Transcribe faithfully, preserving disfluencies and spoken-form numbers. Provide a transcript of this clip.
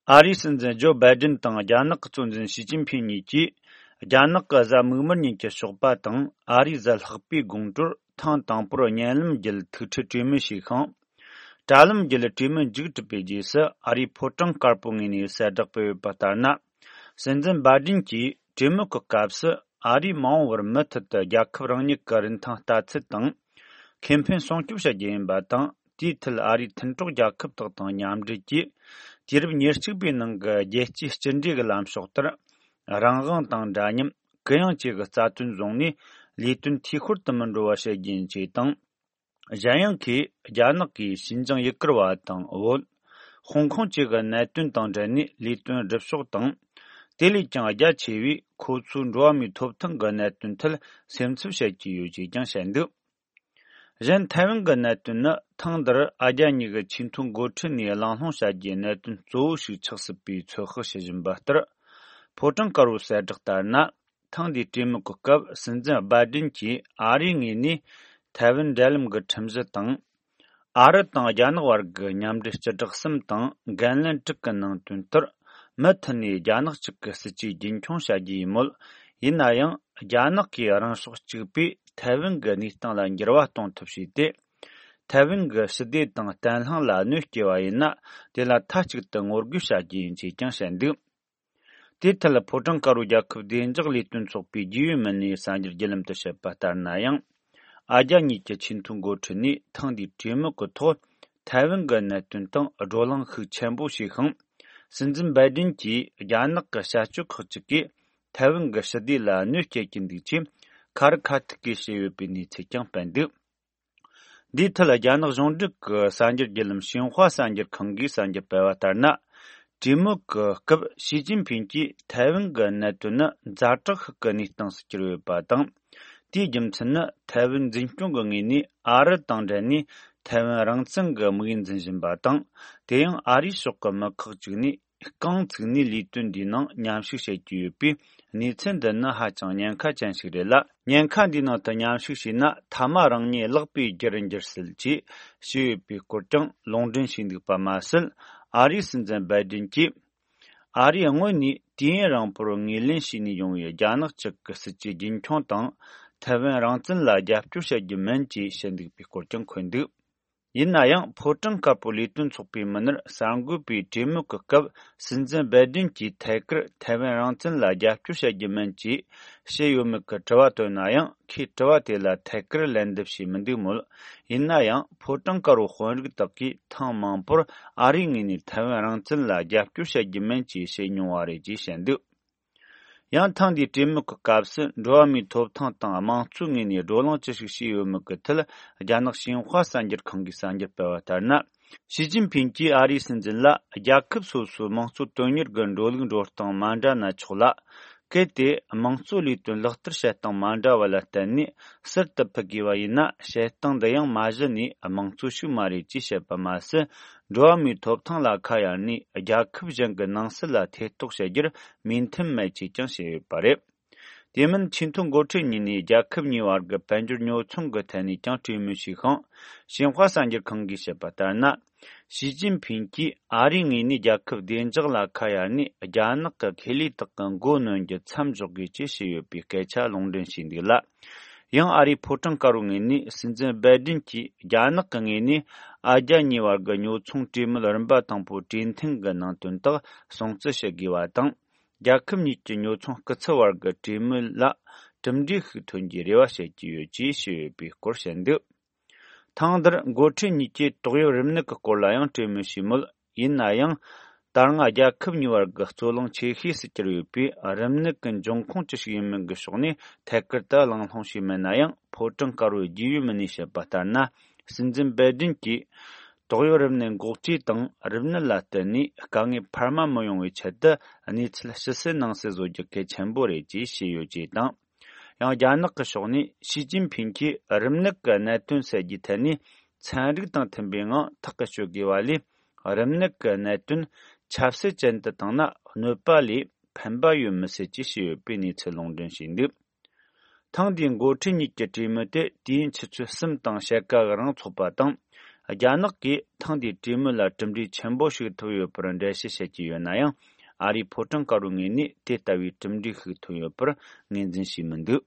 ཨ་རིའི་སྲིད་འཛིན་ཇོ་བྷའི་ཌེན་དང་རྒྱ་ནག་གི་གཙོ་འཛིན་ཞི་ཅིན་ཕིན་གཉིས་ཀྱིས། རྒྱ་ནག་གི་གཟའ་མིག་དམར་ཉིན་གྱི་ཞོགས་པ་དང་ཨ་རིའི་གཟའ་ལྷག་པའི་དགོང་དྲོར་ཐེངས་དང་པོར་བརྙན་ལམ་བརྒྱུད་ཐུག་འཕྲད་གྲོས་མོལ་བྱས་ཤིང་། དྲ་ལམ་བརྒྱུད་གྲོས་མོལ་མཇུག་གྲུབ་པའི་རྗེས་སུ། ཨ་རིའི་ཕོ་བྲང་དཀར་པོའི་ངོས་ནས་གསལ་བསྒྲགས་སྤེལ་ཡོད་པ་ལྟར་ན། སྲིད་འཛིན་བྷའི་ཌེན་གྱིས་གྲོས་མོལ་གྱི་སྐབས་སུ། ཨ་རིས་མ་འོངས་པར་མུ་མཐུད་དུ་རྒྱལ་ཁབ་རང་ཉིད་ཀྱི་རིན་ཐང་ལྟ་ཚུལ་དང་། ཁེ་ཕན་སྲུང་སྐྱོབ་བྱ་རྒྱུ་ཡིན་པ་དང་། དེའི་ཐད་ཨ་རིའི་མཐུན་གྲོགས་རྒྱལ་ཁབ་དག་དང་མཉམ་འབྲེལ་གྱིས། དུས་རབས་ཉེར་གཅིག་པའི་ནང་གི་རྒྱལ་སྤྱིའི་གཅིག་འདྲེས་ཀྱི་ལམ་ཕྱོགས་ལྟར། རང་དབང་དང་འདྲ་མཉམ། གུ་ཡངས་བཅས་ཀྱི་རྩ་དོན་བཟུང་ནས། ལས་དོན་འཐུས་ཤོར་དུ་མི་འགྲོ་བ་བྱེད་རྒྱུ་ཡིན་ཅེས་དང་། གཞན་ཡང་། ཁོས་རྒྱ་ནག་གིས་ཞིན་ཅང་ཡུ་གུར་བ་དང་བོད། ཧོང་ཀོང་བཅས་ཀྱི་གནད་དོན་དང་འབྲེལ་ནས་ལས་དོན་སྒྲུབ་ཕྱོགས་དང་། དེ་ལས་ཀྱང་རྒྱ་ཆེ་བས་ཁོ་ཚོའི་འགྲོ་བ་མིའི་ཐོབ་ཐང་གི་གནད་དོན་ཐད་སེམས་འཚབ་བྱེད་ཀྱི་ཡོད་ཅེས་ཀྱང་བཤད་འདུག་གཞན་ཐའེ་ཝན་གྱི་གནད་དོན་ནི་ཐེངས་འདིར་ཨ་རྒྱ་གཉིས་ཀྱི་ཆེས་མཐོའི་འགོ་ཁྲིད་ནས་གླེང་སློང་བྱ་རྒྱུའི་གནད་དོན་གཙོ་བོ་ཞིག་ཆགས་སྲིད་པའི་ཚོད་དཔག་བྱེད་བཞིན་པ་ལྟར། ཕོ་བྲང་དཀར་པོའི་གསལ་བསྒྲགས་ལྟར་ན། ཐེངས་འདིའི་གྲོས་མོལ་གྱི་སྐབས་སྲིད་འཛིན་བྷའི་ཌེན་གྱིས་ཨ་རིའི་ངོས་ནས་ཐའེ་ཝན་འབྲེལ་ལམ་གྱི་ཁྲིམས་གཞི་དང་། ཨ་རི་དང་རྒྱ་ནག་བར་གྱི་མཉམ་འབྲེལ་སྤྱི་བསྒྲགས་གསུམ་དང་འགན་ལེན་དྲུག་གི་ནང་དོན་ལྟར། མུ་མཐུད་ནས་རྒྱ་ནག་གཅིག་གི་སྲིད་ཇུས་རྒྱུན་འཁྱོངས་བྱ་རྒྱུ་ཡིན་མོད། ཡིན་ན་ཡང་། རྒྱ་ནག་གིས་རང་ཕྱོགས་གཅིག་པུས་ཐའེ་ཝན་གྱི་གནས་སྟངས་ལ་འགྱུར་བ་གཏོང་ཐབས་བྱས་ཏེ། ཐའེ་ཝན་གྱི་ཞི་བདེ་དང་བརྟན་ལྷིང་ལ་གནོད་སྐྱེལ་བ་ཡིན་ན། དེ་ལ་མཐའ་གཅིག་ཏུ་ངོ་རྒོལ་བྱ་རྒྱུ་ཡིན་ཅེས་ཀྱང་བཤད་འདུག་དེའི་ཐད་ཕོ་བྲང་དཀར་པོའི་རྒྱལ་ཁབ་བདེ་འཇགས་ལས་དོན་ཚོགས་པའི་རྒྱུས་ཡོད་མི་སྣས་གསར་འགྱུར་བརྒྱུད་ལམ་དུ་བཤད་པ་ལྟར་ན་ཡང་། ཨ་རྒྱ་གཉིས་ཀྱི་ཆེས་མཐོའི་འགོ་ཁྲིད་ནས་ཐེངས་འདིའི་གྲོས་མོལ་གྱི་ཐོག་ཐའེ་ཝན་གྱི་གནད་དོན་སྟེང་བགྲོ་གླེང་ཤུགས་ཆེན་པོ་བྱས་ཤིང་། སྲིད་འཛིན་བྷའི་ཌེན་གྱིས་རྒྱ་ནག་གི་བྱ་སྤྱོད་ཁག་ཅིག་གིས་ཐའེ་ཝན་གྱི་ཞི་བདེ་ལ་གནོད་སྐྱེལ་གྱི་འདུག་ཅེས་ཁ་རི་ཁ་ཐུག་གིས་བཤད་ཡོད་པའི་གནས་ཚུལ་ཀྱང་སྤེལ་འདུག་འདིའི་ཐད་རྒྱ་ནག་གཞུང་འབྲེལ་གྱི་གསར་འགྱུར་བརྒྱུད་ལམ་ཤིན་ཧྭ་གསར་འགྱུར་ཁང་གིས་གསར་འགྱུར་སྤེལ་བ་ལྟར་ན། གྲོས་མོལ་གྱི་སྐབས་ཞི་ཅིན་ཕིན་གྱིས་ཐའེ་ཝན་གྱི་གནད་དོན་ནི་ཛ་དྲག་ཤོས་ཀྱི་གནས་སྟངས་སུ་གྱུར་ཡོད་པ་དང་། དེའི་རྒྱུ་མཚན་ནི་ཐའེ་ཝན་འཛིན་སྐྱོང་གི་ངོས་ནས་ཨ་རི་དང་འབྲེལ་ནས་ཐའེ་ཝན་རང་བཙན་གྱི་དམིགས་ཡུལ་འཛིན་བཞིན་པ་དང་། དེ་ཡང་ཨ་རིའི་ཕྱོགས་ཀྱི་མི་ཁག་ཅིག་ནས། རྐང་ཚུགས་ནས་ལས་དོན་འདིའི་ནང་མཉམ་ཞུགས་བྱེད་ཀྱི་ཡོད་པས། གནས་ཚུལ་འདི་ནི་ཧ་ཅང་ཉེན་ཁ་ཅན་ཞིག་རེད་ལ། ཉེན་ཁ་འདིའི་ནང་དུ་མཉམ་ཞུགས་བྱས་ན་མཐའ་མ་རང་ཉིད་བརླག་པའི་རྒྱུར་འགྱུར་སྲིད་ཅེས་བཤད་ཡོད་པའི་སྐོར་ཀྱང་ལུང་འདྲེན་བྱས་འདུག་པ་མ་ཟད། ཨ་རིའི་སྲིད་འཛིན་བྷའི་ཌེན་གྱིས། ཨ་རིས་སྔོན་ནས་དུས་ཡུན་རིང་པོར་ངོས་ལེན་བྱས་ནས་ཡོང་བའི་རྒྱ་ནག་གཅིག་གི་སྲིད་ཇུས་རྒྱུན་འཁྱོངས་དང་། ཐའེ་ཝན་རང་བཙན་ལ་རྒྱབ་སྐྱོར་བྱ་རྒྱུ་མིན་ཅེས་བཤད་འདུག་པའི་སྐོར་ཀྱང་འཁོད་འདུག་ཡིན་ན་ཡང་ཕོ་བྲང་དཀར་པོའི་ལས་དོན་ཚོགས་པའི་མི་སྣར་གསར་འགོད་པས་གྲོས་མོལ་གྱི་སྐབས་སྲིད་འཛིན་བྷའི་ཌེན་གྱིས་ཐད་ཀར་ཐའེ་ཝན་རང་བཙན་ལ་རྒྱབ་སྐྱོར་བྱ་རྒྱུ་མིན་ཅེས་བཤད་ཡོད་མེད་ཀྱི་དྲི་བ་བཏོན་ན་ཡང་། ཁོས་དྲི་བ་དེ་ལ་ཐད་ཀར་ལན་འདེབས་བྱས་མི་འདུག་མོད། ཡིན་ན་ཡང་ཕོ་བྲང་དཀར་པོའི་དཔོན་རིགས་དག་གིས་ཐེངས་མང་པོར་ཨ་རིའི་ངོས་ནས་ཐའེ་ཝན་རང་བཙན་ལ་རྒྱབ་སྐྱོར་བྱ་རྒྱུ་མིན་ཅེས་བཤད་མྱོང་བ་རེད་ཅེས་བཤད་འདུག་ཡང་ཐེངས་འདིའི་གྲོས་མོལ་གྱི་སྐབས་སུ་འགྲོ་བ་མིའི་ཐོབ་ཐང་དང་དམངས་གཙོའི་ངོས་ནས་བགྲོ་གླེང་ཅི་ཞིག་བྱས་ཡོད་མེད་ཀྱི་ཐད། རྒྱ་ནག་ཤིན་ཧྭ་གསར་འགྱུར་ཁང་གིས་གསར་འགྱུར་སྤེལ་བ་ལྟར་ན། ཞི་ཅིན་ཕིན་གྱིས་ཨ་རིའི་སྲིད་འཛིན་ལ། རྒྱལ་ཁབ་སོ་སོའི་དམངས་གཙོ་དོན་གཉེར་གྱི་འགྲོ་ལུགས་འགྲོ་སྟངས་མ་འདྲ་ན་ཆོག་ལ། གལ་ཏེ་དམངས་གཙོ་ལས་དོན་ལག་བསྟར་བྱེད་སྟངས་མ་འདྲ་བ་ལ་བརྟེན་ནས་ཟུར་དུ་ཕུད་དགོས་པ་ཡིན་ན། བྱེད་སྟངས་འདི་ཡང་མ་གཞི་ནས་དམངས་གཙོ་ཞིག་མ་རེད་ཅེས་བཤད་པ་མ་ཟད། འགྲོ་བ་མིའི་ཐོབ་ཐང་ལ་ཁ་གཡར་ནས་རྒྱལ་ཁབ་གཞན་གྱི་ནང་སྲིད་ལ་ཐེ་གཏོགས་བྱེད་རྒྱུར་མོས་མཐུན་མེད་ཅེས་ཀྱང་བཤད་ཡོད་པ་རེད། དེ་མིན་ཆེས་མཐོའི་འགོ་ཁྲིད་གཉིས་ནས་རྒྱལ་ཁབ་གཉིས་བར་གྱི་དཔལ་འབྱོར་ཉོ་ཚོང་གི་ཐད་ནས་ཀྱང་གྲོས་མོལ་བྱས་ཤིང་། ཤིན་ཧྭ་གསར་འགྱུར་ཁང་གིས་བཤད་པ་ལྟར་ན། ཞི་ཅིན་ཕིན་གྱིས་ཨ་རིའི་ངོས་ནས་རྒྱལ་ཁབ་བདེ་འཇགས་ལ་ཁ་གཡར་ནས། རྒྱ་ནག་གི་ཁེ་ལས་དག་གི་མགོ་གནོན་རྒྱུ་མཚམས་འཇོག་དགོས་ཅེས་བཤད་ཡོད་པའི་སྐད་ཆ་ལུང་འདྲེན་བྱས་འདུག་ལ། ཡང་ཨ་རིའི་ཕོ་བྲང་དཀར་པོའི་ངོས་ནས་སྲིད་འཛིན་བྷའི་ཌེན་གྱིས། རྒྱ་ནག་གི་ངོས་ནས་ཨ་རྒྱ་གཉིས་བར་གྱི་ཉོ་ཚོང་གྲོས་མོལ་རིམ་པ་དང་པོའི་གྲོས་མཐུན་གྱི་ནང་དོན་དག་སྲུང་བརྩི་བྱེད་དགོས་པ་དང་། རྒྱལ་ཁབ་གཉིས་ཀྱི་ཉོ་ཚོང་སྐུ་ཚབ་བར་གྱི་གྲོས་མོལ་ལ་གྲུབ་འབྲས་ཤིག་ཐོན་རྒྱུའི་རེ་བ་བྱེད་ཀྱི་ཡོད་ཅེས་བཤད་ཡོད་པའི་སྐོར་བཤད་འདུག་ཐེངས་འདིར་འགོ་ཁྲིད་གཉིས་ཀྱིས་ཏོག་དབྱིབས་རིམས་ནད་ཀྱི་སྐོར་ལ་ཡང་གྲོས་མོལ་བྱས་མོད། ཡིན་ན་ཡང་། ད་སྔ་རྒྱལ་ཁབ་གཉིས་བར་གྱི་རྩོད་གླེང་ཆེ་ཤོས་སུ་གྱུར་ཡོད་པའི་རིམས་ནད་ཀྱི་འབྱུང་ཁུངས་ཅི་ཞིག་ཡིན་མིན་གྱི་ཕྱོགས་ནས་ཐད་ཀར་དུ་གླེང་སློང་བྱས་མེད་ན་ཡང་། ཕོ་བྲང་དཀར་པོའི་རྒྱུས་ཡོད་མི་སྣས་བཤད་པ་ལྟར་ན། སྲིད་འཛིན་བྷའི་ཌེན་གྱིས། ཏོག་དབྱིབས་རིམས་ནད་འགོག་བཅོས་དང་རིམས་ནད་ལ་བརྟེན་ནས་དཀའ་ངལ་འཕར་མ་མི་ཡོང་བའི་ཆེད་དུ་གནས་ཚུལ་ཕྱི་གསལ་ནང་གསལ་བཟོ་རྒྱུ་གལ་ཆེན་པོ་རེད་ཅེས་བཤད་ཡོད་ཅེས་དང་། ཡང་རྒྱ་ནག་གི་ཕྱོགས་ནས་ཞི་ཅིན་ཕིན་གྱིས་རིམས་ནད་ཀྱི་གནད་དོན་སེལ་རྒྱུའི་ཐད་ནས་ཚན་རིག་དང་མཐུན་པའི་ངང་ཐག་གིས་གཅོད་དགོས་པ་ལས། རིམས་ནད་ཀྱི་གནད་དོན་ཆབ་སྲིད་ཅན་དུ་བཏང་ན་གནོད་པ་ལས་ཕན་པ་ཡོད་མི་སྲིད་ཅེས་བཤད་ཡོད་པའི་གནས་ཚུལ་ལུང་འདྲེན་བྱས་འདུག་ཐེངས་འདིའི་འགོ་ཁྲིད་གཉིས་ཀྱི་གྲོས་མོལ་དེ་དུས་ཡུན་ཆུ་ཚོད་གསུམ་དང་ཕྱེད་ཀ་གི་རིང་འཚོགས་པ་དང་། རྒྱ་ནག་གིས་ཐེངས་འདིའི་གྲོས་མོལ་ལ་གྲུབ་འབྲས་ཆེན་པོ་ཞིག་ཐོབ་ཡོད་པར་འགྲེལ་བཤད་བྱེད་ཀྱི་ཡོད་ན་ཡང་། ཨ་རིའི་ཕོ་བྲང་དཀར་པོའི་ངོས་ནས་དེ་ལྟ་བུའི་གྲུབ་འབྲས་ཤིག་ཐོན་ཡོད་པར་ངོས་འཛིན་བྱས་མི་འདུག